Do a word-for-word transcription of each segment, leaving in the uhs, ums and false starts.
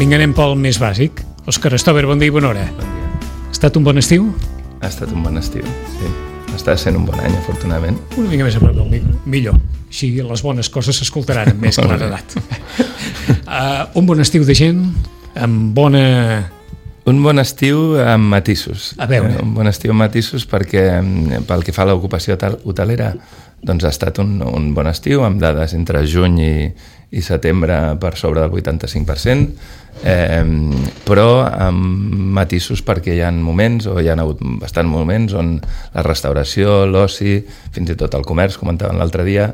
Vinga, anem pel més bàsic. Òscar Stover, bon dia i bona hora. Bon dia. Ha estat un bon estiu? Ha estat un bon estiu, sí. Està sent un bon any, afortunadament. Una mica més a prop del micro. Millor. Així les bones coses s'escoltaran amb més claredat. uh, un bon estiu de gent, amb bona... Un bon estiu amb matisos. A veure. Un bon estiu amb matisos perquè pel que fa a l'ocupació hotelera doncs ha estat un, un bon estiu amb dades entre juny i, i setembre per sobre del vuitanta-cinc per cent, eh, però amb matisos perquè hi ha moments o hi ha hagut bastants moments on la restauració, l'oci, fins i tot el comerç, comentaven l'altre dia,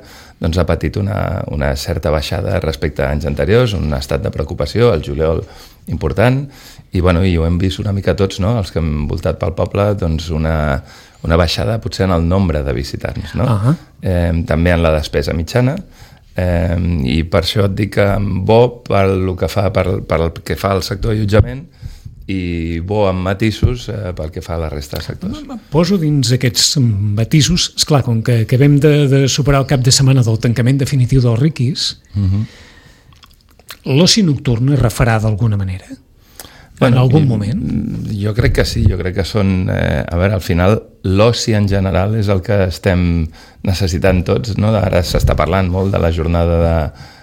doncs ha patit una, una certa baixada respecte a anys anteriors, un estat de preocupació, el juliol important, i, bueno, i ho hem vist una mica tots, no? Els que hem voltat pel poble, doncs una, una baixada potser en el nombre de visitants, no? Uh-huh. eh, també en la despesa mitjana, eh, i per això et dic que bo pel que fa, per, per el que fa al sector allotjament i bo amb matisos eh, pel que fa a la resta de sectors. Poso dins aquests matisos, esclar, com que acabem de, de superar el cap de setmana del tancament definitiu dels Riquis, uh-huh. L'oci nocturn es refarà d'alguna manera? En bueno, algun moment? Jo crec que sí, jo crec que són... Eh, a veure, al final, l'oci en general és el que estem necessitant tots, no? Ara s'està parlant molt de la jornada de...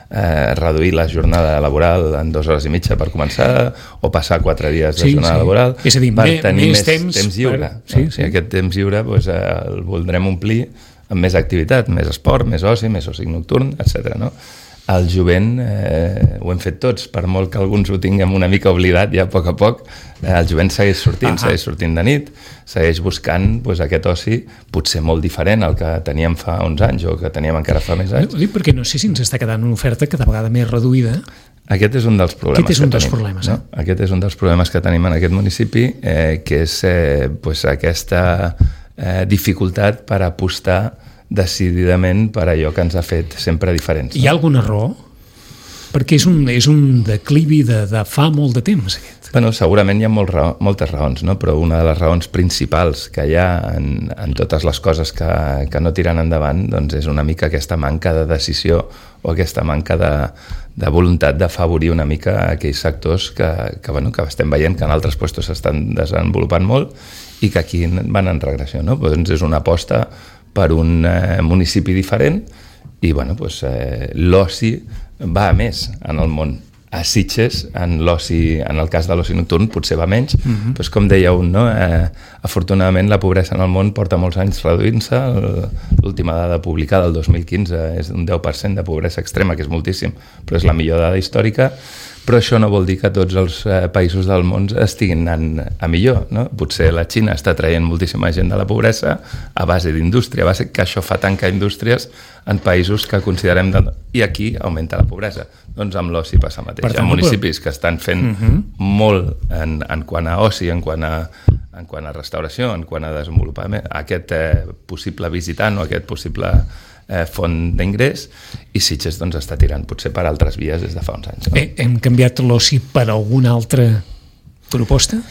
Eh, reduir la jornada laboral en dues hores i mitja per començar, o passar quatre dies de sí, jornada sí. laboral, és a dir, per més, tenir més més temps, temps lliure. Per... Sí, no? sí. I aquest temps lliure doncs, eh, el voldrem omplir amb més activitat, més esport, més oci, més oci nocturn, etcètera. No? El jovent eh, ho hem fet tots, per molt que alguns ho tinguem una mica oblidat ja a poc a poc, eh, el jovent segueix sortint, ah, segueix sortint de nit, segueix buscant pues, aquest oci potser molt diferent al que teníem fa uns anys o que teníem encara fa més anys. Ho dic perquè no sé si ens està quedant una oferta cada vegada més reduïda. Aquest és un dels problemes Aquest és un que dels tenim. Problemes, eh? No? Aquest és un dels problemes que tenim en aquest municipi, eh, que és eh, pues, aquesta eh, dificultat per apostar decididament per allò que ens ha fet sempre diferents. No? Hi ha alguna raó? Perquè és un, és un declivi de, de fa molt de temps, aquest. Bueno, segurament hi ha molt raó, moltes raons, no? Però una de les raons principals que hi ha en, en totes les coses que, que no tiren endavant doncs és una mica aquesta manca de decisió o aquesta manca de, de voluntat d'afavorir una mica aquells sectors que, que, bueno, que estem veient que en altres puestos s'estan desenvolupant molt i que aquí van en regressió. No? Doncs és una aposta per un eh, municipi diferent i bueno, doncs, eh, l'oci va a més en el món. A Sitges, en l'oci, en el cas de l'oci nocturn, potser va menys, uh-huh. doncs com deia un, no? eh, afortunadament la pobresa en el món porta molts anys reduint-se. L'última dada publicada, el dos mil quinze, és un deu per cent de pobresa extrema, que és moltíssim, però és la millor dada històrica. Però això no vol dir que tots els eh, països del món estiguin anant a millor, no? Potser la Xina està traient moltíssima gent de la pobresa a base d'indústria, a base que això fa tancar indústries en països que considerem... De... I aquí augmenta la pobresa. Doncs amb l'oci passa el mateix. Hi ha municipis que estan fent uh-huh. molt en, en quant a oci, en quant a, en quant a restauració, en quant a desenvolupament, aquest eh, possible visitant o aquest possible... Eh, font d'ingrés, i Sitges doncs, està tirant potser per altres vies des de fa uns anys. No? Eh, hem canviat l'oci per alguna altra proposta?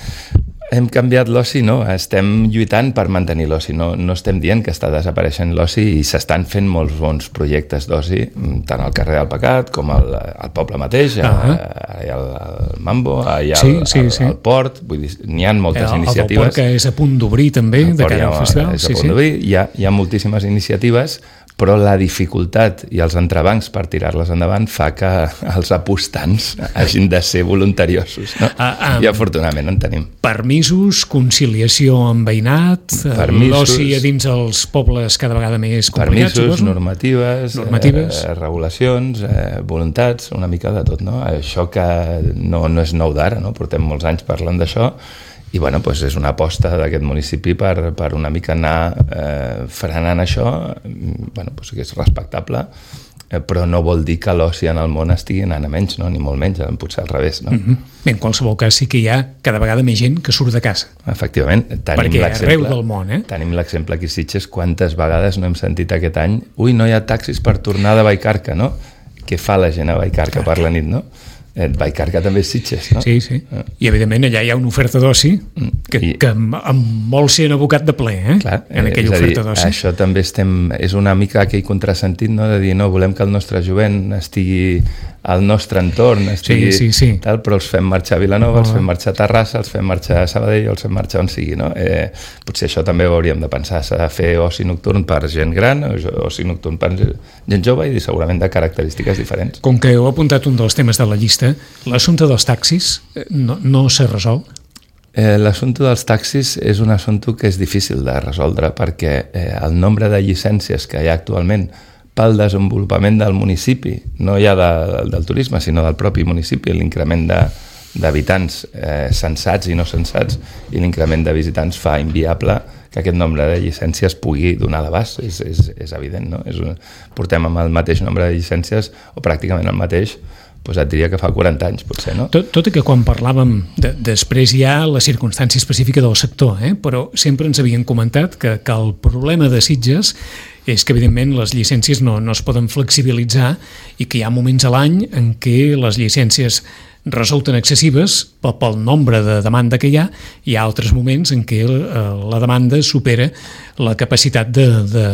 Hem canviat l'oci, no? Estem lluitant per mantenir l'oci. No, no estem dient que està desapareixent l'oci i s'estan fent molts bons projectes d'oci, tant al carrer del Pecat com al, al poble mateix, uh-huh. allà al, al Mambo, allà sí, al, sí, al, sí. al port. Vull dir, n'hi ha moltes el, iniciatives. El port que és a punt d'obrir també, de cara al festival. És a sí, punt sí. d'obrir. Hi ha, hi ha moltíssimes iniciatives, però la dificultat i els entrebancs per tirar-les endavant fa que els apostants hagin de ser voluntariosos. No? Ah, ah, I afortunadament en tenim. Permisos, conciliació amb veïnat, l'oci a dins els pobles cada vegada més complicats. Permisos, normatives, normatives. Eh, regulacions, eh, voluntats, una mica de tot. No? Això que no, no és nou d'ara, no? Portem molts anys parlant d'això, i bueno, doncs és una aposta d'aquest municipi per, per una mica anar eh, frenant això, bueno, doncs que és respectable, eh, però no vol dir que l'oci en el món estigui anant a menys, no? Ni molt menys, potser al revés. No? Mm-hmm. Bé, en qualsevol cas sí que hi ha cada vegada més gent que surt de casa. Efectivament. Tenim perquè arreu del món, eh? Tenim l'exemple aquí a Sitges, quantes vegades no hem sentit aquest any, ui, no hi ha taxis per tornar de Vallcarca, no? Què fa la gent a Vallcarca per la nit, no? Eh, Vallcarca també és Sitges, no? Sí, sí. I, evidentment, allà hi ha una oferta d'oci que, I, que em vol ser abocat de ple, eh? Clar, en aquella és oferta dir, d'oci. Això també estem... És una mica aquell contrasentit, no?, de dir, no, volem que el nostre jovent estigui al nostre entorn, estigui sí, sí, sí. tal, però els fem marxar a Vilanova, oh. els fem marxar a Terrassa, els fem marxar a Sabadell, els fem marxar on sigui, no? Eh, potser això també ho hauríem de pensar. S'ha de fer oci nocturn per gent gran, oci nocturn per gent jove i segurament de característiques diferents. Com que heu apuntat un dels temes de la llista, l'assumpte dels taxis no, no s'ha resolt? Eh, L'assumpte dels taxis és un assumpte que és difícil de resoldre perquè eh, el nombre de llicències que hi ha actualment pel desenvolupament del municipi, no ja de, del turisme, sinó del propi municipi, l'increment de, d'habitants eh, sensats i no sensats i l'increment de visitants fa inviable que aquest nombre de llicències pugui donar l'abast, és, és, és evident, no? És un, portem amb el mateix nombre de llicències o pràcticament el mateix, doncs et diria que fa quaranta anys, potser, no? Tot, tot i que quan parlàvem, de, després hi ha la circumstància específica del sector, eh? Però sempre ens havien comentat que, que el problema de Sitges és que, evidentment, les llicències no, no es poden flexibilitzar i que hi ha moments a l'any en què les llicències resulten excessives pel, pel nombre de demanda que hi ha, i hi ha altres moments en què eh, la demanda supera la capacitat de, de,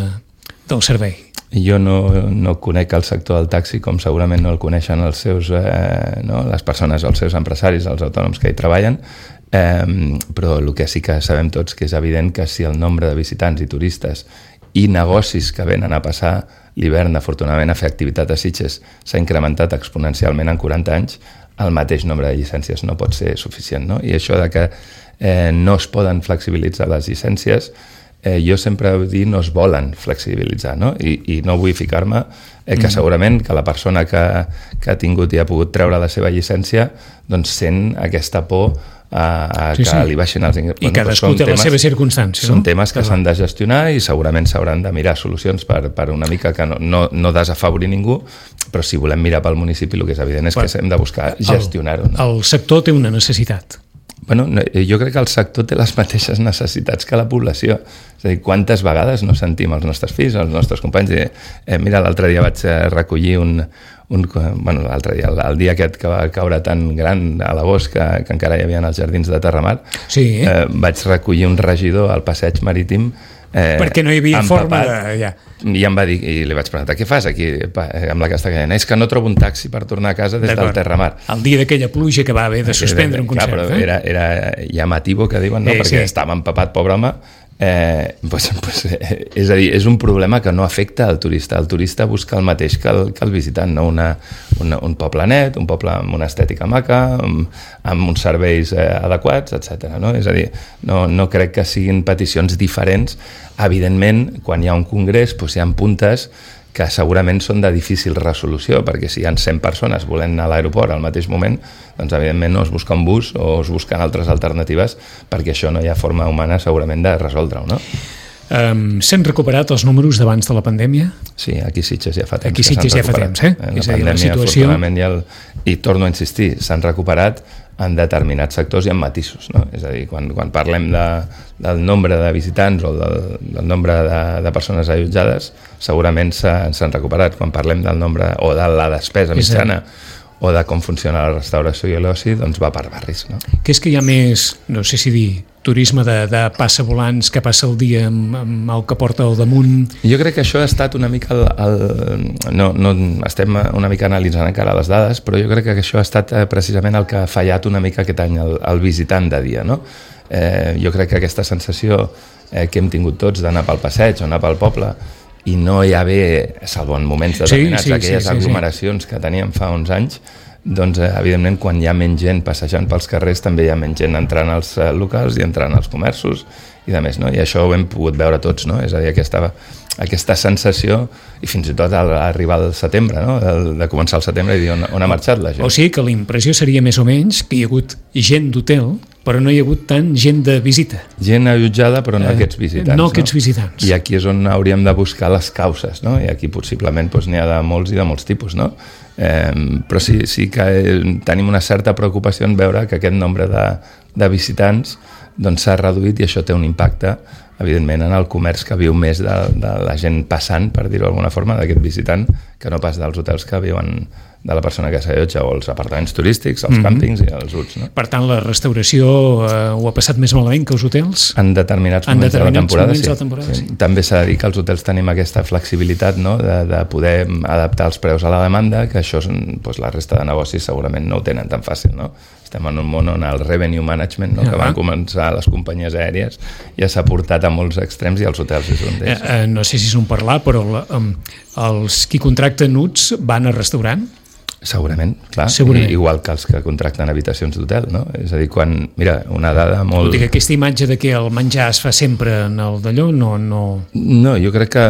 del servei. Jo no, no conec el sector del taxi com segurament no el coneixen els seus, eh, no? les persones, els seus empresaris, els autònoms que hi treballen, eh, però el que sí que sabem tots que és evident que si el nombre de visitants i turistes i negocis que venen a passar l'hivern, afortunadament, a fer activitat a Sitges s'ha incrementat exponencialment en quaranta anys, el mateix nombre de llicències no pot ser suficient, no? I això de que eh, no es poden flexibilitzar les llicències, Eh, jo sempre he dit no es volen flexibilitzar, no? I, i no vull ficar-me eh, que segurament que la persona que, que ha tingut i ha pogut treure la seva llicència doncs sent aquesta por a, a sí, que sí. li baixin els ingressos. I cadascú té la seva circumstància. Són no? temes que s'han de gestionar i segurament s'hauran de mirar solucions per, per una mica que no, no, no desafavorir ningú, però si volem mirar pel municipi el que és evident és que hem de buscar gestionar-ho. No? El sector té una necessitat. Bueno, jo crec que el sector té les mateixes necessitats que la població. És a dir, quantes vegades no sentim els nostres fills, els nostres companys, dir, eh, mira, l'altre dia vaig recollir un... un bueno, l'altre dia, el, el dia aquest que va caure tan gran a l'agost que, que encara hi havia als jardins de Terramar, sí. eh, vaig recollir un regidor al passeig marítim Eh, perquè no hi havia forma de... Ja. I em va dir, i li vaig preguntar, què fas aquí amb la Castellana? És que no trobo un taxi per tornar a casa des del Terramar. El dia d'aquella pluja que va haver de suspendre un concert. Clar, però eh? era, era llamativo que diuen, no? Eh, perquè sí. estava empapat, pobre home. Eh, pues, pues, eh, és a dir, és un problema que no afecta al turista. El turista busca el mateix que el, que el visitant, no? Una, una, un poble net, un poble amb una estètica maca, amb, amb uns serveis eh, adequats, etcètera. No? És a dir, no, no crec que siguin peticions diferents. Evidentment, quan hi ha un congrés, doncs hi ha puntes que segurament són de difícil resolució, perquè si hi ha cent persones volent anar a l'aeroport al mateix moment, doncs evidentment no es busca un bus o es busquen altres alternatives, perquè això no hi ha forma humana segurament de resoldre-ho, no? Um, S'han recuperat els números d'abans de la pandèmia? Sí, aquí Sitges ja fa temps. Aquí Sitges ja fa temps, eh? La és a dir, la situació... I, el, I torno a insistir, s'han recuperat en determinats sectors i en matisos, no? És a dir, quan, quan parlem de, del nombre de visitants o del, del nombre de, de persones allotjades, segurament s'han recuperat. Quan parlem del nombre o de la despesa mitjana o de com funciona la restauració i l'oci, doncs va per barris, no? Que és que hi ha més, no sé si dir, turisme de, de passa volants que passa el dia amb, amb el que porta al damunt. Jo crec que això ha estat una mica el, el, no, no estem una mica analitzant encara les dades, però jo crec que això ha estat precisament el que ha fallat una mica aquest any el, el visitant de dia, no? Eh, jo crec que aquesta sensació eh, que hem tingut tots d'anar pel passeig o anar pel poble i no hi ha haver, salvo en moments determinats, sí, sí, aquelles sí, sí, aglomeracions sí. que teníem fa uns anys, doncs eh, evidentment quan hi ha menys gent passejant pels carrers també hi ha menys gent entrant als eh, locals i entrant als comerços i de més, no? I això ho hem pogut veure tots, no? És a dir, aquesta, aquesta sensació i fins i tot al arribar al setembre, no? De, de començar el setembre i dir on, on ha marxat la gent. O sigui que la impressió seria més o menys que hi ha hagut gent d'hotel però no hi ha hagut tant gent de visita. Gent allotjada, però no eh, aquests visitants. No aquests visitants. I aquí és on hauríem de buscar les causes, no? I aquí possiblement doncs, n'hi ha de molts i de molts tipus, no? Eh, però sí, sí que tenim una certa preocupació en veure que aquest nombre de, de visitants doncs, s'ha reduït i això té un impacte, evidentment, en el comerç que viu més de, de la gent passant, per dir-ho d'alguna forma, d'aquest visitant, que no pas dels hotels que viuen de la persona que s'allotja, o els apartaments turístics, els mm-hmm. càmpings i els huts. No? Per tant, la restauració eh, ho ha passat més malament que els hotels? En determinats en moments determinats de la temporada, sí. sí. La temporada sí. sí. També s'ha de dir que els hotels tenim aquesta flexibilitat, no? de, de poder adaptar els preus a la demanda, que això doncs, la resta de negocis segurament no ho tenen tan fàcil, no? Estem en un món on el revenue management, no? Uh-huh. que van començar les companyies aèries, ja s'ha portat a molts extrems i els hotels és un d'ells. Eh, eh, no sé si és un parlar, però la, um, els qui contracten huts van a restaurant? Segurament, clar. Segurament. Igual que els que contracten habitacions d'hotel, no? És a dir, quan... Mira, una dada molt... Vull dir que aquesta imatge de que el menjar es fa sempre en el d'allò, no, no... No, jo crec que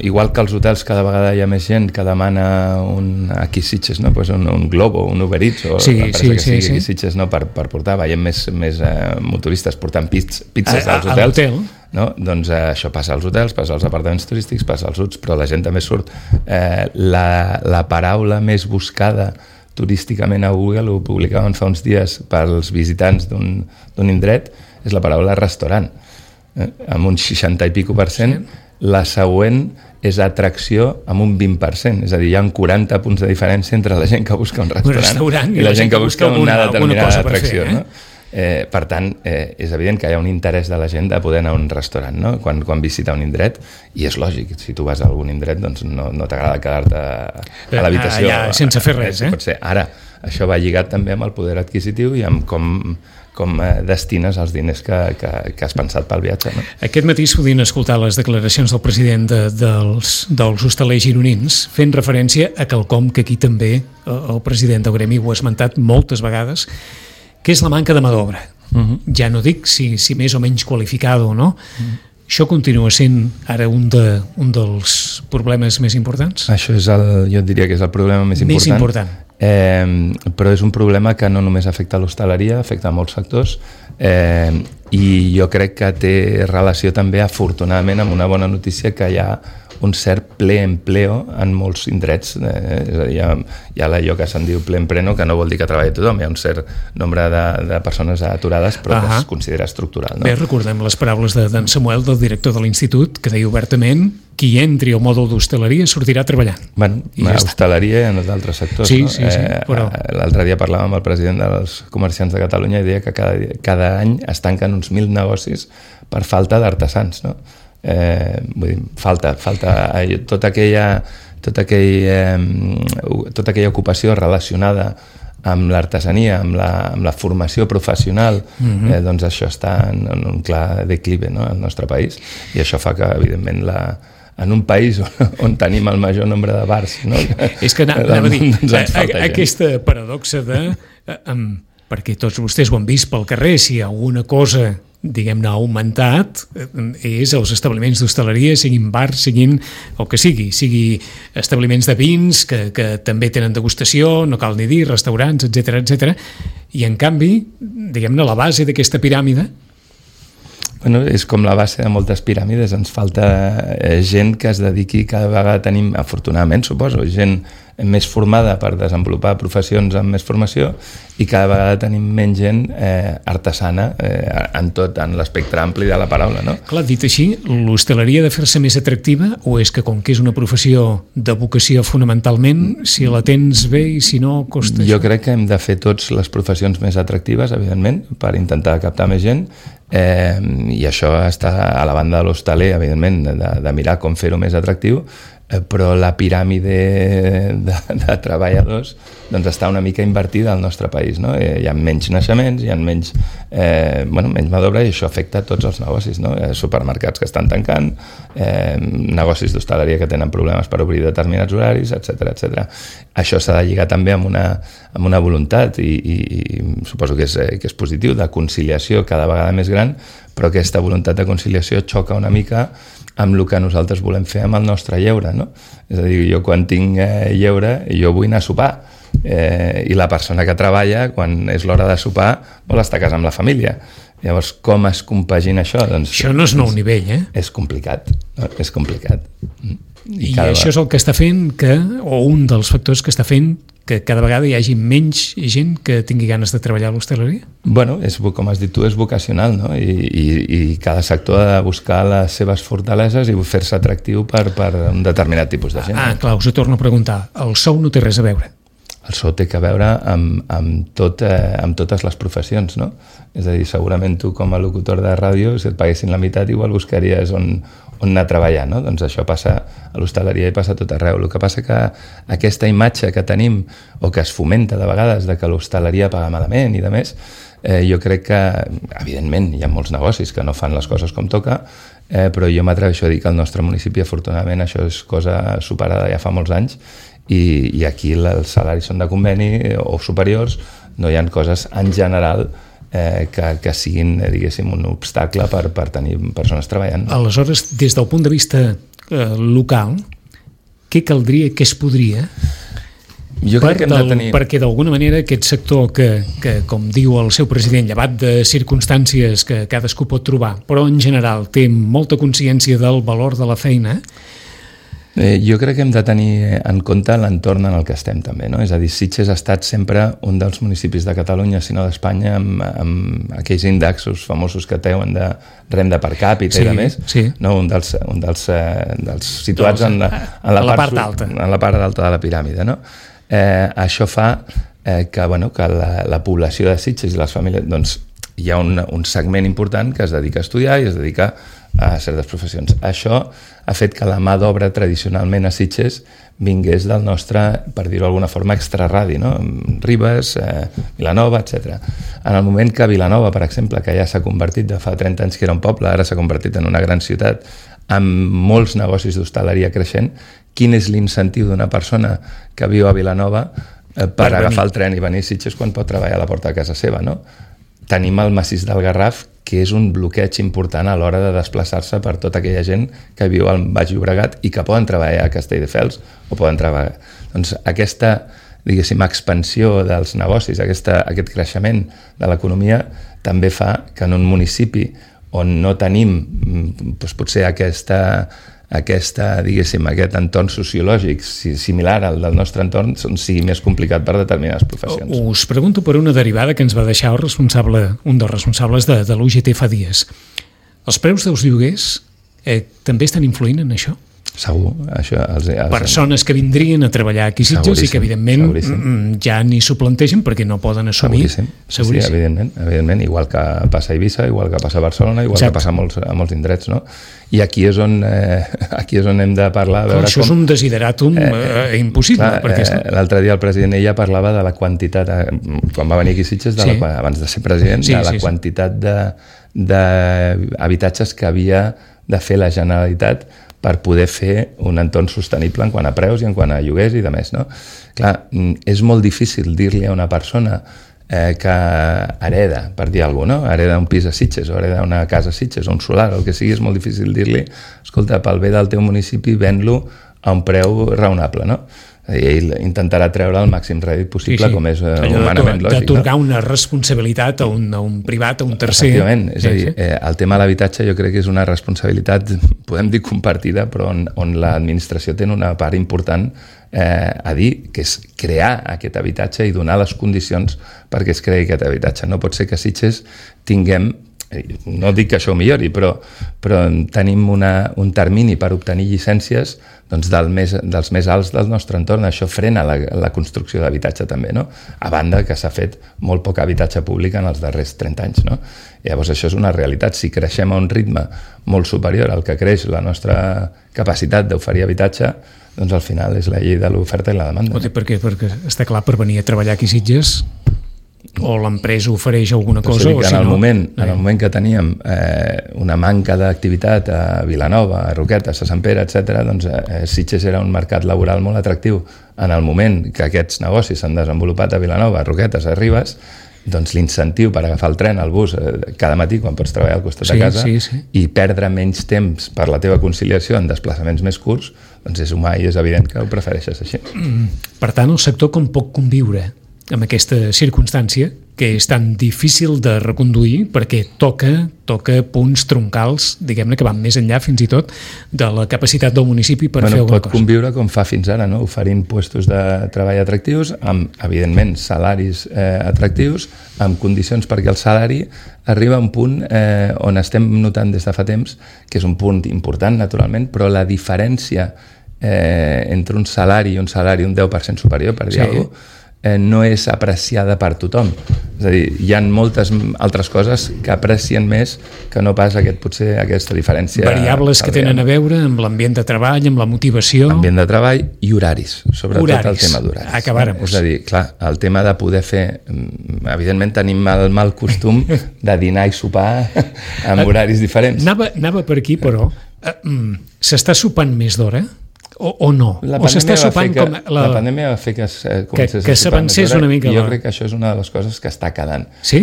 igual que als hotels cada vegada hi ha més gent que demana un... Aquí Sitges, no? Pues un, un Globo, un Uber Eats, o sí, l'empresa sí, que sigui sí, aquí sí. Sitges, no? Per, per portar, veiem més, més eh, motoristes portant pizz, pizzas a, als a, hotels. A no? Doncs eh, això passa als hotels, passa als apartaments turístics, passa als huts, però la gent també surt. Eh, la, la paraula més buscada turísticament a Google, ho publicaven fa uns dies pels visitants d'un, d'un indret, és la paraula restaurant, eh? amb un seixanta i pico per cent. Sí. La següent és atracció amb un vint per cent, és a dir, hi ha quaranta punts de diferència entre la gent que busca un restaurant, un restaurant i la, la gent que busca una, una determinada atracció. Fer, eh? No? Eh, per tant, eh, és evident que hi ha un interès de la gent de poder anar a un restaurant, no? quan, quan visita un indret, i és lògic, si tu vas a algun indret doncs no, no t'agrada quedar-te a l'habitació ah, ja, sense fer res, eh? Pot ser. Ara, això va lligat també amb el poder adquisitiu i amb com, com eh, destines els diners que, que, que has pensat pel viatge, no? Aquest matí es podien escoltar les declaracions del president de, dels, dels hostalers gironins fent referència a quelcom que aquí també el president del gremi ho ha esmentat moltes vegades, que és la manca de mà d'obra. Uh-huh. Ja no dic si, si més o menys qualificada o no. Uh-huh. Això continua sent ara un, de, un dels problemes més importants? Això és el, jo diria que és el problema més important. Més important. Eh, però és un problema que no només afecta l'hostaleria, afecta molts sectors, eh, i jo crec que té relació també, afortunadament, amb una bona notícia, que hi ha un cert ple empleo en molts indrets, eh, és a dir, hi ha, hi ha allò que se'n diu ple empleo, que no vol dir que treballi tothom, hi ha un cert nombre de, de persones aturades, però uh-huh. que es considera estructural. No? Bé, recordem les paraules de, d'en Samuel, del director de l'institut, que deia obertament: qui entri al mòdul d'hostaleria sortirà treballant. Bueno, ja hostaleria i en els altres sectors. Sí, no? sí, sí, eh, però... L'altre dia parlàvem amb el president dels comerciants de Catalunya i deia que cada, cada any es tanquen uns mil negocis per falta d'artesans, no? Eh, vull dir, falta, falta tota aquella, tota aquell, eh, tota aquella ocupació relacionada amb l'artesania, amb la, amb la formació professional, mm-hmm. eh, doncs això està en, en un clar declive, no?, al nostre país, i això fa que, evidentment, la, en un país on, on tenim el major nombre de bars, no? És que anava a dir, doncs aquesta paradoxa de... Eh, um, perquè tots vostès ho han vist pel carrer, si alguna cosa, diguem-ne, ha augmentat, és els establiments d'hostaleria, siguin bars, siguin el que sigui, sigui establiments de vins, que, que també tenen degustació, no cal ni dir, restaurants, etcètera, etcètera. I en canvi, diguem-ne, la base d'aquesta piràmide... Bueno, és com la base de moltes piràmides, ens falta eh, gent que es dediqui, cada vegada tenim, afortunadament suposo, gent més formada per desenvolupar professions amb més formació, i cada vegada tenim menys gent eh, artesana eh, en tot, en l'espectre ampli de la paraula, no? Clar, dit així, l'hostaleria ha de fer-se més atractiva, o és que com que és una professió de vocació fonamentalment, si la tens bé i si no, costa? Jo crec que hem de fer tots les professions més atractives, evidentment, per intentar captar més gent, eh, i això està a la banda de l'hostaler, evidentment, de, de mirar com fer-ho més atractiu, però la piràmide de, de treballadors doncs està una mica invertida al nostre país, no? Hi ha menys naixements, hi ha menys, eh, bueno, menys mà d'obra, i això afecta tots els negocis, no? Supermercats que estan tancant, eh, negocis d'hostaleria que tenen problemes per obrir determinats horaris, etcètera, etcètera. Això s'ha de lligar també amb una, amb una voluntat, i, i, i suposo que és, que és positiu, de conciliació cada vegada més gran, però aquesta voluntat de conciliació xoca una mica amb el que nosaltres volem fer amb el nostre lleure, no? És a dir, jo quan tinc eh, lleure, jo vull anar a sopar, eh, i la persona que treballa, quan és l'hora de sopar, vol estar a casa amb la família. Llavors, com es compagina això? Doncs, això no és nou nivell, eh? És complicat, no? És complicat. I, I això és el que està fent que, o un dels factors que està fent que cada vegada hi hagi menys gent que tingui ganes de treballar a l'hostaleria? Bueno, és, com has dit tu, és vocacional, no? I, i, i cada sector ha de buscar les seves fortaleses i fer-se atractiu per, per un determinat tipus de gent. Ah, clar, us ho torno a preguntar. El sou no té res a veure? el sou té que veure amb, amb, tot, eh, amb totes les professions, no? És a dir, segurament tu com a locutor de ràdio, si et paguessin la meitat, igual buscaries on, on anar a treballar, no? Doncs això passa a l'hostaleria i passa a tot arreu. El que passa que aquesta imatge que tenim, o que es fomenta de vegades, de que l'hostaleria paga malament i de més, eh, jo crec que, evidentment, hi ha molts negocis que no fan les coses com toca, eh, però jo m'atreveixo a dir que al nostre municipi, afortunadament, això és cosa superada ja fa molts anys, i, i aquí els salaris són de conveni o superiors, no hi ha coses en general eh, que, que siguin, diguéssim, un obstacle per, per tenir persones treballant. Aleshores, des del punt de vista eh, local, què caldria, què es podria jo crec que hem de tenir... perquè d'alguna manera aquest sector que, que, com diu el seu president, llevat de circumstàncies que cadascú pot trobar, però en general té molta consciència del valor de la feina, Eh, jo crec que hem de tenir en compte l'entorn en el que estem també, no? És a dir, Sitges ha estat sempre un dels municipis de Catalunya, si no d'Espanya, amb, amb aquells índexs famosos que teuen de renda per càpita sí, i de més, sí. No? un dels, un dels, eh, dels situats doncs, en, la, en, la la part, part alta. en la part alta de la piràmide. No? Eh, això fa eh, que, bueno, que la, la població de Sitges i les famílies, doncs, hi ha un, un segment important que es dedica a estudiar i es dedica a certes professions. Això ha fet que la mà d'obra tradicionalment a Sitges vingués del nostre, per dir-ho d'alguna forma, extraradi, no? Ribes, eh, Vilanova, etcètera. En el moment que Vilanova, per exemple, que ja s'ha convertit de fa trenta anys que era un poble, ara s'ha convertit en una gran ciutat, amb molts negocis d'hostaleria creixent, quin és l'incentiu d'una persona que viu a Vilanova eh, per, per agafar el tren i venir a Sitges quan pot treballar a la porta de casa seva, no? Tenim el massís del Garraf, que és un bloqueig important a l'hora de desplaçar-se per tota aquella gent que viu al Baix Llobregat i que poden treballar a Castelldefels o poden treballar. Doncs aquesta, diguéssim, expansió dels negocis, aquesta, aquest creixement de l'economia també fa que en un municipi on no tenim doncs, potser aquesta aquesta, diguéssim, aquest entorn sociològic similar al del nostre entorn sigui més complicat per determinades professions. Us pregunto per una derivada que ens va deixar el responsable, un dels responsables de, de l'U G T fa dies. Els preus dels lloguers eh, també estan influint en això? Segur. Això, els, els... Persones que vindrien a treballar aquí a Sitges i que evidentment seguríssim. Ja ni s'ho plantegen perquè no poden assumir. Seguríssim. Seguríssim. Sí, evidentment, evidentment, igual que passa a Eivissa, igual que passa a Barcelona, igual Exacte. Que passa a molts, a molts indrets, no? I aquí és on, eh, aquí és on hem de parlar. Veure això com... és un desideratum eh, eh, impossible. Clar, perquè eh, l'altre dia el president ella parlava de la quantitat, eh, quan va venir aquí a Sitges, de sí. la, abans de ser president, sí, de la sí, quantitat sí. d'habitatges que havia de fer la Generalitat per poder fer un entorn sostenible en quant a preus i en quant a lloguers i de més, no? Clar, és molt difícil dir-li a una persona eh, que hereda, per dir alguna cosa, no? Hereda un pis a Sitges o hereda una casa a Sitges o un solar, o el que sigui, és molt difícil dir-li, escolta, pel bé del teu municipi ven-lo a un preu raonable, no? I ell intentarà treure el màxim rèdit possible, sí, sí. com és uh, humanament lògic. D'atorgar no? una responsabilitat a un, a un privat, a un tercer. Efectivament, és sí, a dir, sí. eh, el tema de l'habitatge jo crec que és una responsabilitat, podem dir compartida, però on, on l'administració té una part important eh, a dir, que és crear aquest habitatge i donar les condicions perquè es creï aquest habitatge. No pot ser que a Sitges tinguem, no dic que això ho millori, però, però tenim una, un termini per obtenir llicències doncs, del més, dels més alts del nostre entorn. Això frena la, la construcció d'habitatge també, no? A banda que s'ha fet molt poc habitatge públic en els darrers trenta anys, no? Llavors això és una realitat. Si creixem a un ritme molt superior al que creix la nostra capacitat d'oferir habitatge, doncs al final és la llei de l'oferta i la demanda. No? Perquè, perquè està clar, per venir a treballar aquí a Sitges o l'empresa ofereix alguna cosa o en, si el no... moment, en el moment que teníem eh, una manca d'activitat a Vilanova, a Roquetes, a Sant Pere, etcètera, doncs eh, Sitges era un mercat laboral molt atractiu. En el moment que aquests negocis s'han desenvolupat a Vilanova, a Roquetes, a Ribes, doncs l'incentiu per agafar el tren, el bus, eh, cada matí quan pots treballar al costat sí, de casa sí, sí. i perdre menys temps per la teva conciliació en desplaçaments més curts, doncs és humà i és evident que ho prefereixes així. Per tant, el sector com pot conviure amb aquesta circumstància que és tan difícil de reconduir perquè toca, toca punts troncals, diguem-ne, que van més enllà fins i tot de la capacitat del municipi per bueno, fer alguna cosa. Pot conviure com fa fins ara, no? Oferint puestos de treball atractius, amb, evidentment, salaris eh, atractius, amb condicions perquè el salari arriba a un punt eh, on estem notant des de fa temps, que és un punt important, naturalment, però la diferència eh, entre un salari i un salari un deu per cent superior, per dir sí. alguna cosa, eh, no és apreciada per tothom. És a dir, hi ha moltes altres coses que aprecien més que no pas aquest, potser aquesta diferència. Variables que tenen a veure amb l'ambient de treball, amb la motivació... Ambient de treball i horaris, sobretot horaris. El tema d'horaris. Acabàrem. És a dir, clar, el tema de poder fer... Evidentment tenim el mal costum de dinar i sopar amb horaris diferents. Anava, anava per aquí, però s'està sopant més d'hora? O, o no? La o s'està sopant que, com... La, la pandèmia va fer que, eh, que, que s'avancés una mica. Jo crec que això és una de les coses que està quedant. Sí?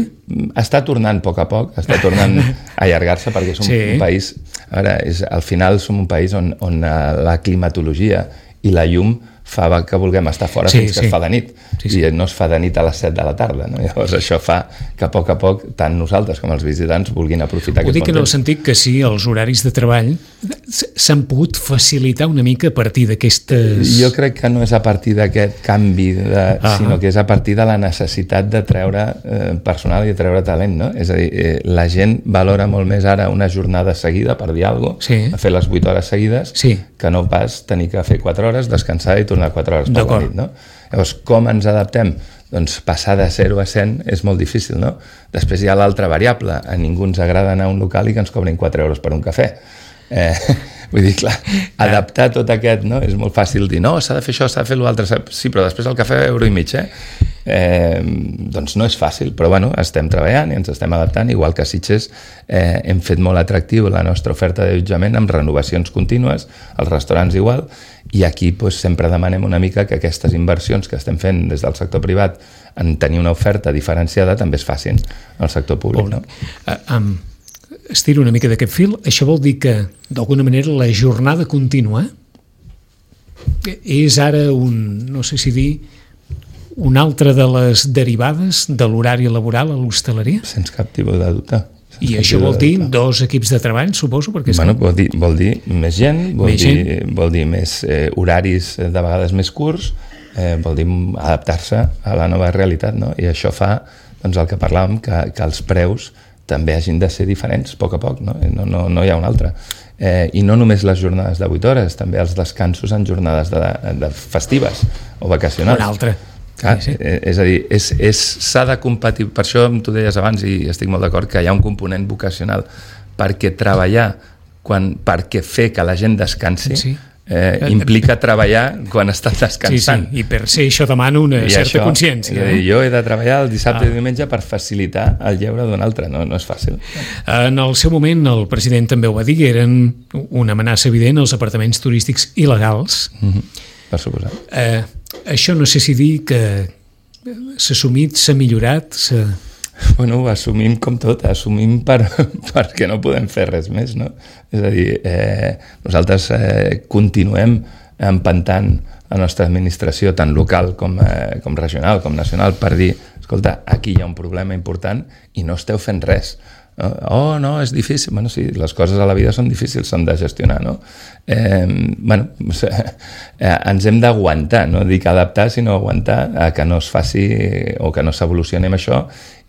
Està tornant a poc a poc, està tornant a allargar-se perquè som sí. un país... A veure, és, al final som un país on, on la climatologia i la llum fa que vulguem estar fora sí, fins que sí. es fa de nit. Sí, sí. I no es fa de nit a les set de la tarda. No? Llavors això fa que a poc a poc tant nosaltres com els visitants vulguin aprofitar aquest bon temps. Ho dic en el temps. sentit que sí, els horaris de treball s'han pogut facilitar una mica a partir d'aquestes... Jo crec que no és a partir d'aquest canvi, de, ah. sinó que és a partir de la necessitat de treure eh, personal i de treure talent. No? És a dir, eh, la gent valora molt més ara una jornada seguida, per dir alguna cosa, sí. a fer les vuit hores seguides, sí. que no pas tenir que fer quatre hores, descansar i tornar quatre hores per la nit, no? Llavors, com ens adaptem? Doncs passar de zero a cent és molt difícil, no? Després hi ha l'altra variable, a ningú ens agrada anar a un local i que ens cobrin quatre euros per un cafè. Eh, vull dir, clar, adaptar tot aquest, no? És molt fàcil dir, no, s'ha de fer això, s'ha de fer l'altre, sí, però després el cafè euro i mig, eh? Eh, doncs no és fàcil, però bueno, estem treballant i ens estem adaptant, igual que a Sitges eh, hem fet molt atractiu la nostra oferta d'allotjament amb renovacions contínues, els restaurants igual, i aquí doncs, sempre demanem una mica que aquestes inversions que estem fent des del sector privat en tenir una oferta diferenciada també es facin al sector públic. No? Uh, um, estiro una mica d'aquest fil, això vol dir que d'alguna manera la jornada contínua és ara un, no sé si dir, una altra de les derivades de l'horari laboral a l'hostaleria? Sense cap tipus de dubte. I això vol dir dos equips de treball, suposo? Perquè bueno, vol, dir, vol dir més gent, vol, més, dir, gent. vol dir més eh, horaris de vegades més curts, eh, vol dir adaptar-se a la nova realitat, no? I això fa doncs, el que parlàvem, que, que els preus també hagin de ser diferents a poc a poc, no, no, no, no hi ha un altre. Eh, I no només les jornades de vuit hores, també els descansos en jornades de, de festives o vacacionals. Un altre. Ah, sí, sí. És a dir, és, és, s'ha de competir, per això tu deies abans i estic molt d'acord que hi ha un component vocacional, perquè treballar quan, perquè fer que la gent descansi sí. eh, implica treballar quan estàs descansant. Sí, sí. I per ser això demano una I certa això, consciència. Eh? Jo he de treballar el dissabte ah. i diumenge per facilitar el lleure d'un altre, no, no és fàcil. En el seu moment el president també ho va dir, eren una amenaça evident als apartaments turístics il·legals. Mm-hmm. Per suposar. Eh, això no sé si dir que s'ha assumit, s'ha millorat, s'ha... Bueno, ho assumim com tot, assumim per, perquè no podem fer res més, no? És a dir, eh, nosaltres eh, continuem empantant la nostra administració, tant local com, eh, com regional, com nacional, per dir, escolta, aquí hi ha un problema important i no esteu fent res. Oh, no, és difícil. Bueno, sí, les coses a la vida són difícils, s'han de gestionar, no? Eh, bueno, eh, ens hem d'aguantar, no dic adaptar, sinó aguantar a que no es faci o que no s'evolucioni amb això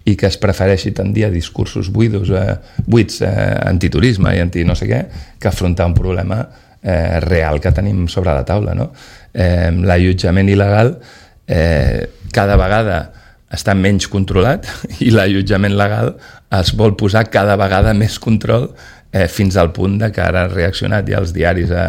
i que es prefereixi tendir a discursos buidos, eh, buits, eh, antiturisme i anti no sé què, que afrontar un problema eh, real que tenim sobre la taula, no? Eh, l'allotjament il·legal eh, cada vegada està menys controlat i l'allotjament legal es vol posar cada vegada més control eh, fins al punt de que ara han reaccionat ja els diaris a,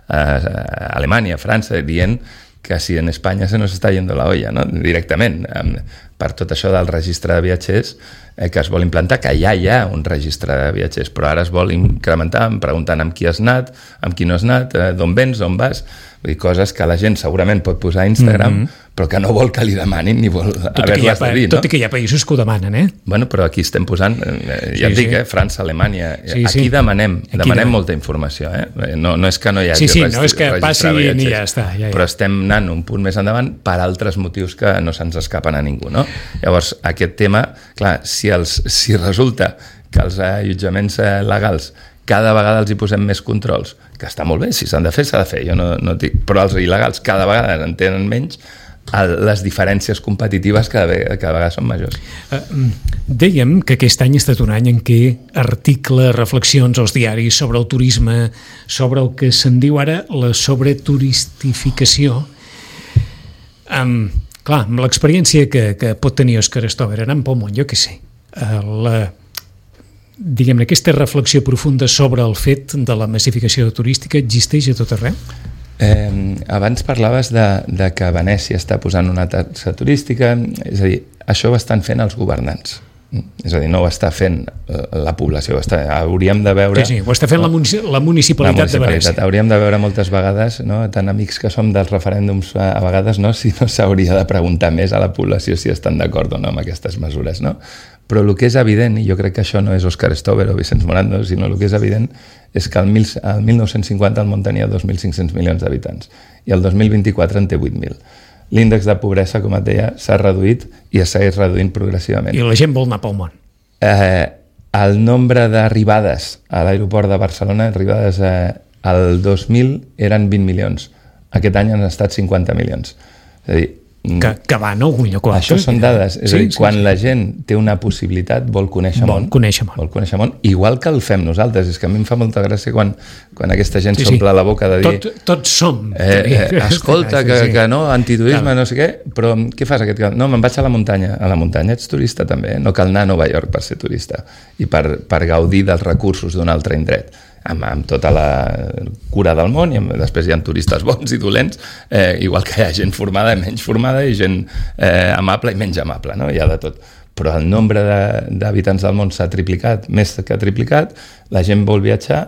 a, a Alemanya, a França, dient que si en Espanya se nos està yendo la olla, no? Directament, eh, per tot això del registre de viatgers eh, que es vol implantar, que ja hi ha un registre de viatgers, però ara es vol incrementar preguntant amb qui has anat, amb qui no has anat, eh, d'on vens, d'on vas, vull dir, coses que la gent segurament pot posar a Instagram, mm-hmm. però que no vol que li demanin ni vol haver-les de dir, no? Tot i que hi ha països que ho demanen, eh? Bueno, però aquí estem posant, eh, ja sí, et dic, sí. eh, França, Alemanya, sí, aquí sí. demanem, aquí demanem demanem molta informació, eh? No, no és que no hi hagi sí, sí, registrat, no és que passi i ja està. Ja, ja. Però estem anant un punt més endavant per altres motius que no se'ns escapen a ningú, no? Llavors, aquest tema, clar, si, els, si resulta que els allotjaments legals cada vegada els hi posem més controls, que està molt bé, si s'han de fer, s'ha de fer, jo no, no dic, però els il·legals cada vegada en tenen menys, les diferències competitives cada vegada, cada vegada són majors. Uh, dèiem que aquest any ha estat un any en què articles, reflexions als diaris sobre el turisme, sobre el que se'n diu ara la sobreturistificació. Um, clar, amb l'experiència que, que pot tenir Òscar Stover anant pel món, jo què sé, la, diguem-ne, aquesta reflexió profunda sobre el fet de la massificació turística existeix a tot arreu? Eh, abans parlaves de, de que Venècia està posant una taxa turística, és a dir, això ho estan fent els governants, és a dir, no ho està fent la població, ho està, hauríem de veure... Sí, sí, ho està fent la, munici la, municipalitat la municipalitat de Venècia. Hauríem de veure moltes vegades, no? Tan amics que som dels referèndums a, a vegades, no? Si no s'hauria de preguntar més a la població si estan d'acord o no amb aquestes mesures, no? Però el que és evident, i jo crec que això no és Òscar Stover o Vicenç Morando, sinó el que és evident és que el, mil, el mil nou-cents cinquanta el món tenia dos mil cinc-cents milions d'habitants i el dos mil vint-i-quatre en té vuit mil. L'índex de pobresa, com et deia, s'ha reduït i es segueix reduint progressivament. I la gent vol anar pel món. Eh, el nombre d'arribades a l'aeroport de Barcelona, arribades eh, al dos mil eren vint milions. Aquest any han estat cinquanta milions. És a dir, que, que van a algun lloc. Això són dades. És sí, a dir, sí, quan sí. la gent té una possibilitat vol conèixer vol món. Conèixer món. Vol conèixer món, igual que el fem nosaltres. És que a mi em fa molta gràcia quan, quan aquesta gent s'omple sí, sí. la boca de dir... Tot, tots som. Eh, eh, escolta, que, que no, antiturisme, no sé què, però què fas aquest cap? No, me'n vaig a la muntanya. A la muntanya ets turista també. No cal anar a Nova York per ser turista i per, per gaudir dels recursos d'un altre indret. Amb, amb tota la cura del món i amb, després hi ha turistes bons i dolents, eh, igual que hi ha gent formada i menys formada i gent eh, amable i menys amable, no? Hi ha de tot. Però el nombre d'habitants del món s'ha triplicat, més que triplicat, la gent vol viatjar,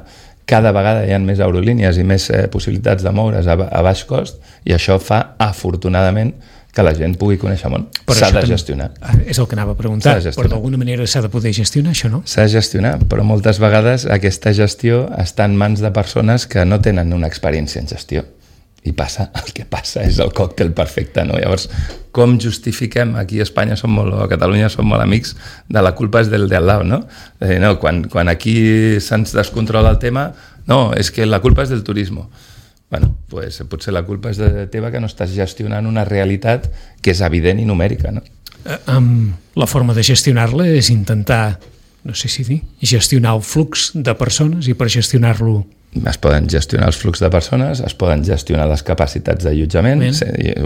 cada vegada hi ha més aerolínies i més eh, possibilitats de moure's a, a baix cost i això fa, afortunadament, que la gent pugui conèixer món. S'ha de gestionar. És el que anava a preguntar, però d'alguna manera s'ha de poder gestionar això, no? S'ha de gestionar, però moltes vegades aquesta gestió està en mans de persones que no tenen una experiència en gestió. I passa, el que passa és el còctel perfecte, no? Llavors, com justifiquem, aquí a Espanya som molt, o a Catalunya som molt amics, de la culpa és del de al lado, no? És dir, no, quan, quan aquí se'ns descontrola el tema, no, és que la culpa és del turisme. Bueno, pues, potser la culpa és de teva que no estàs gestionant una realitat que és evident i numèrica, no? Uh, um, la forma de gestionar-la és intentar, no sé si dir, gestionar el flux de persones i per gestionar-lo... Es poden gestionar els flux de persones, es poden gestionar les capacitats d'allotjament,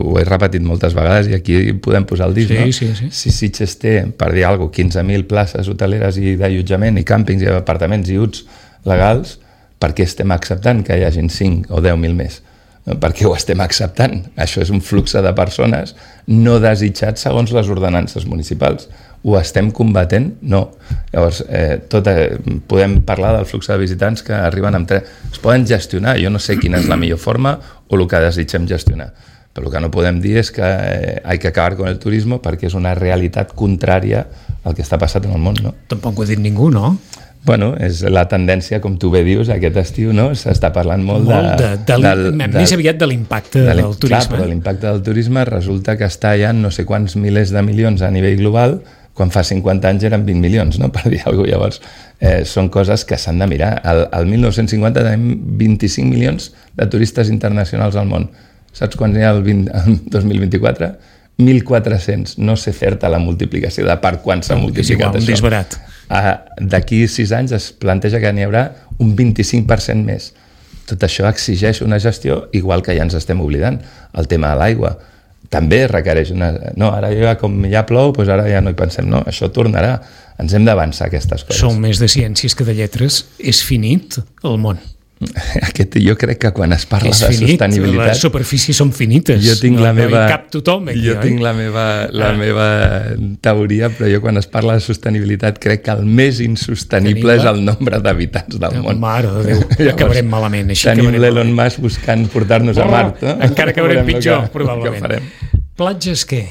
ho he repetit moltes vegades i aquí podem posar el dit, sí, no? Sí, sí. Si Sitges té, per dir alguna cosa, quinze mil places hoteleres i d'allotjament i càmpings i apartaments i uts legals, per què estem acceptant que hi hagin cinc o deu mil més? Per què ho estem acceptant? Això és un flux de persones no desitjat segons les ordenances municipals. Ho estem combatent? No. Llavors, eh, tot, eh, podem parlar del flux de visitants que arriben amb tren. Es poden gestionar, jo no sé quina és la millor forma o el que desitgem gestionar. Però el que no podem dir és que eh, hay que acabar con el turismo perquè és una realitat contrària al que està passant en el món, no? Tampoc ho ha dit ningú, no? Bueno, és la tendència, com tu bé dius, aquest estiu, no? S'està parlant molt, molt de... de, de, del, de més aviat de l'impacte de del turisme. Clar, però l'impacte del turisme resulta que està ja en no sé quants milers de milions a nivell global, quan fa cinquanta anys eren vint milions, no? Per dir alguna cosa. Llavors, eh, són coses que s'han de mirar. Al, al mil nou-cents cinquanta tenim vint-i-cinc milions de turistes internacionals al món. Saps quants n'hi ha el, vint, el dos mil vint-i-quatre? mil quatre-cents. No sé fer-te la multiplicació de per quan s'ha multiplicat igual, això. Un disbarat. Ah, d'aquí sis anys es planteja que n'hi haurà un vint-i-cinc per cent més. Tot això exigeix una gestió, igual que ja ens estem oblidant. El tema de l'aigua també requereix una... No, ara ja, com ja plou, doncs ara ja no hi pensem. No, això tornarà. Ens hem d'avançar aquestes coses. Som més de ciències que de lletres. És finit el món. Aquest, jo crec que quan es parla és de finit, sostenibilitat... les superfícies són finites. Jo tinc no, la meva... No hi cap tothom aquí, jo oi? tinc la meva, la ah. meva teoria, però jo quan es parla de sostenibilitat crec que el més insostenible Tenim és el nombre d'habitants del món. Mare de Déu, Llavors, acabarem malament. Així tenim l'Elon Musk buscant portar-nos oh, a Mart. No? Encara acabarem pitjor, que, probablement. Que Platges què?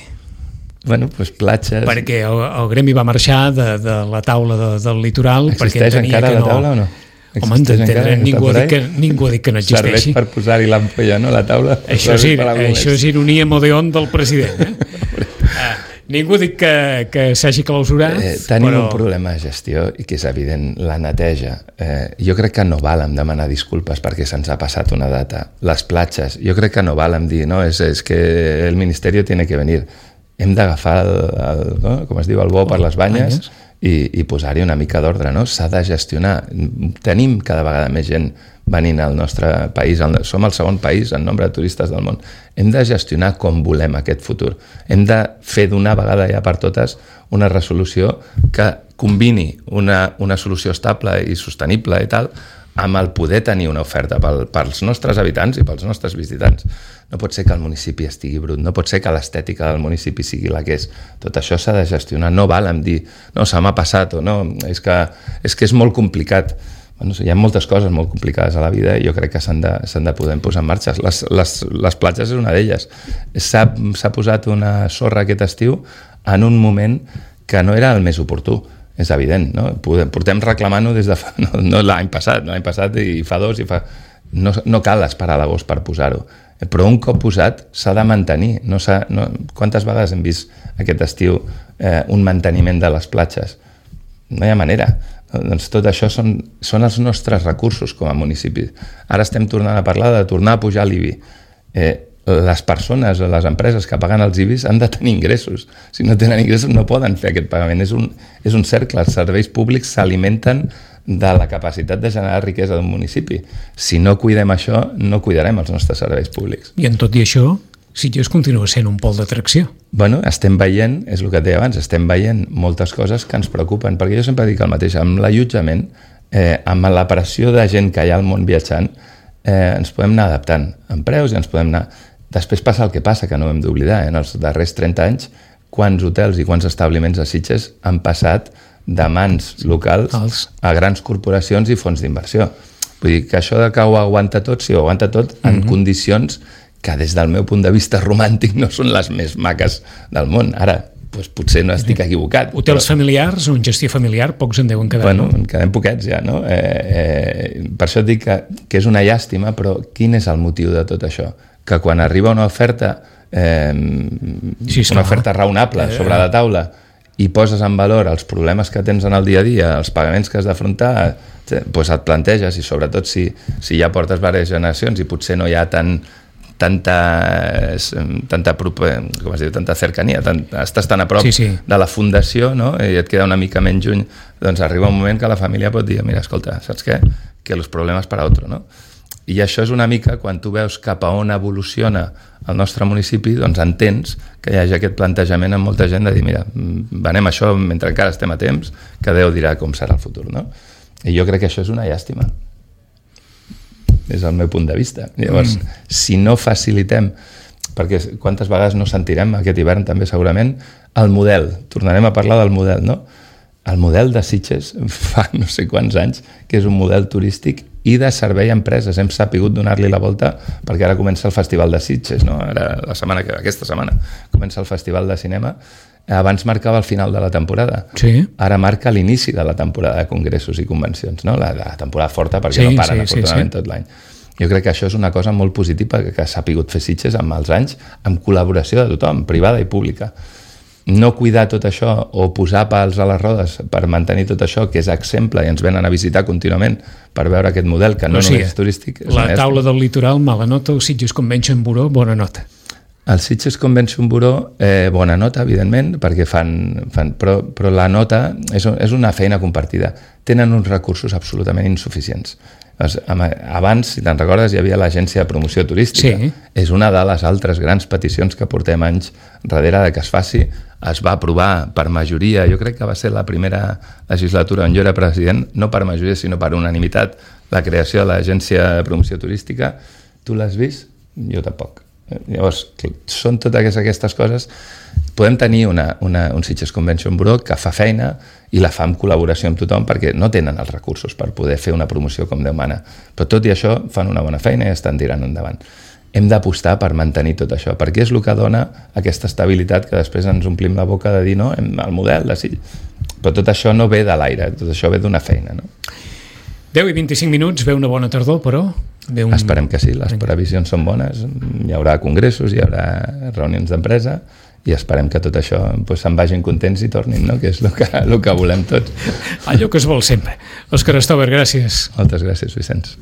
Bueno, doncs platges... Perquè el, el gremi va marxar de, de la taula de, del litoral. Existeix encara que la taula no, o no? Home, encara, ningú, ha dit que, ningú ha dit que no existeixi. Serveix per posar-hi l'ampolla, no?, a la taula. Això és, això és ironia modeon del president. Eh? ah, ningú ha dit que, que s'hagi clausurat. Eh, tenim però... un problema de gestió i que és evident, la neteja. Eh, jo crec que no val em demanar disculpes perquè se'ns ha passat una data. Les platges, jo crec que no val em dir, no, és, és que el Ministerio tiene que venir. Hem d'agafar, el, el, no? com es diu, el bo per les banyes, banyes. i, i posar-hi una mica d'ordre, no? S'ha de gestionar. Tenim cada vegada més gent venint al nostre país. Som el segon país en nombre de turistes del món. Hem de gestionar com volem aquest futur. Hem de fer d'una vegada ja per totes una resolució que combini una, una solució estable i sostenible i tal, amb el poder tenir una oferta pel, pels nostres habitants i pels nostres visitants. No pot ser que el municipi estigui brut, no pot ser que l'estètica del municipi sigui la que és. Tot això s'ha de gestionar, no val en dir no, se m'ha passat o no, és que és, que és molt complicat. Bueno, hi ha moltes coses molt complicades a la vida i jo crec que s'han de, s'han de poder posar en marxa. Les, les, les platges és una d'elles. S'ha, s'ha posat una sorra aquest estiu en un moment que no era el més oportú. És evident, no? Portem reclamant-ho des de fa, no, no l'any passat, l'any passat i fa dos i fa... No, no cal esperar a l'agost per posar-ho, però un cop posat s'ha de mantenir. No s'ha, no... Quantes vegades hem vist aquest estiu eh, un manteniment de les platges? No hi ha manera. Doncs tot això són, són els nostres recursos com a municipi. Ara estem tornant a parlar de tornar a pujar l'I B I. Eh, les persones o les empreses que paguen els I B Is han de tenir ingressos. Si no tenen ingressos no poden fer aquest pagament. És un, és un cercle. Els serveis públics s'alimenten de la capacitat de generar riquesa d'un municipi. Si no cuidem això, no cuidarem els nostres serveis públics. I en tot i això, Sitges continua sent un pol d'atracció. Bueno, estem veient, és el que et deia abans, estem veient moltes coses que ens preocupen, perquè jo sempre dic el mateix, amb l'allotjament, eh, amb la pressió de gent que hi ha al món viatjant, eh, ens podem anar adaptant en preus i ens podem anar... Després passa el que passa, que no ho hem d'oblidar. Eh? En els darrers trenta anys, quants hotels i quants establiments a Sitges han passat de mans locals Els. a grans corporacions i fons d'inversió. Vull dir que això de que ho aguanta tot, sí, ho aguanta tot en mm-hmm. condicions que des del meu punt de vista romàntic no són les més maques del món. Ara, doncs potser no estic equivocat. Hotels però... familiars o en gestió familiar, pocs en deuen quedar. Bueno, no? en quedem poquets ja, no? Eh, eh, per això et dic que, que és una llàstima, però quin és el motiu de tot això? Que quan arriba una oferta eh, sí, una oferta raonable eh, sobre la taula i poses en valor els problemes que tens en el dia a dia, els pagaments que has d'afrontar, doncs et planteges, i sobretot si, si ja portes diverses generacions i potser no hi ha tant tanta, tanta, com es diu, tanta cercania, tant, estàs tan a prop sí, sí. de la fundació, no? I et queda una mica menys lluny, doncs arriba un moment que la família pot dir, mira, escolta, saps què? Que els problemes per a otro, no? I això és una mica, quan tu veus cap a on evoluciona el nostre municipi, doncs entens que hi hagi aquest plantejament amb molta gent de dir, mira, venem això mentre encara estem a temps, que Déu dirà com serà el futur, no? I jo crec que això és una llàstima, des del meu punt de vista. Llavors, mm. si no facilitem, perquè quantes vegades no sentirem aquest hivern també segurament, el model, tornarem a parlar del model, no? El model de Sitges fa no sé quants anys que és un model turístic i de servei a empreses. Hem sapigut donar-li la volta perquè ara comença el Festival de Sitges, no? Ara, la setmana que, aquesta setmana comença el Festival de Cinema. Abans marcava el final de la temporada. Sí. Ara marca l'inici de la temporada de congressos i convencions, no? La, la temporada forta perquè sí, no paren, sí, afortunadament, sí, sí. tot l'any. Jo crec que això és una cosa molt positiva que, que s'ha pogut fer Sitges amb els anys, amb col·laboració de tothom, privada i pública. No cuidar tot això o posar pals a les rodes per mantenir tot això, que és exemple i ens venen a visitar contínuament per veure aquest model que no o sigui, només és turístic. És la taula del litoral, mala nota, el Sitges Convention Bureau, bona nota. El Sitges Convention Bureau, eh, bona nota, evidentment, perquè fan... fan però, però la nota és, és una feina compartida. Tenen uns recursos absolutament insuficients. Abans, si te'n recordes, hi havia l'Agència de Promoció Turística. Sí. És una de les altres grans peticions que portem anys darrere de que es faci. Es va aprovar per majoria, jo crec que va ser la primera legislatura on jo era president, no per majoria sinó per unanimitat, la creació de l'Agència de Promoció Turística. Tu l'has vist? Jo tampoc. Llavors, són totes aquestes coses. Podem tenir una, una, un Sitges Convention Bureau que fa feina i la fa en col·laboració amb tothom perquè no tenen els recursos per poder fer una promoció com Déu mana. Però tot i això fan una bona feina i estan tirant endavant. Hem d'apostar per mantenir tot això, perquè és el que dona aquesta estabilitat que després ens omplim la boca de dir no, el model de Sitges. Però tot això no ve de l'aire, tot això ve d'una feina, no? deu i vint-i-cinc minuts, ve una bona tardor, però... Ve un... Esperem que sí, les previsions són bones, hi haurà congressos, hi haurà reunions d'empresa i esperem que tot això pues, se'n vagin contents i tornin, no? Que és el que, el que volem tots. Allò que es vol sempre. Òscar Stover, gràcies. Moltes gràcies, Vicenç.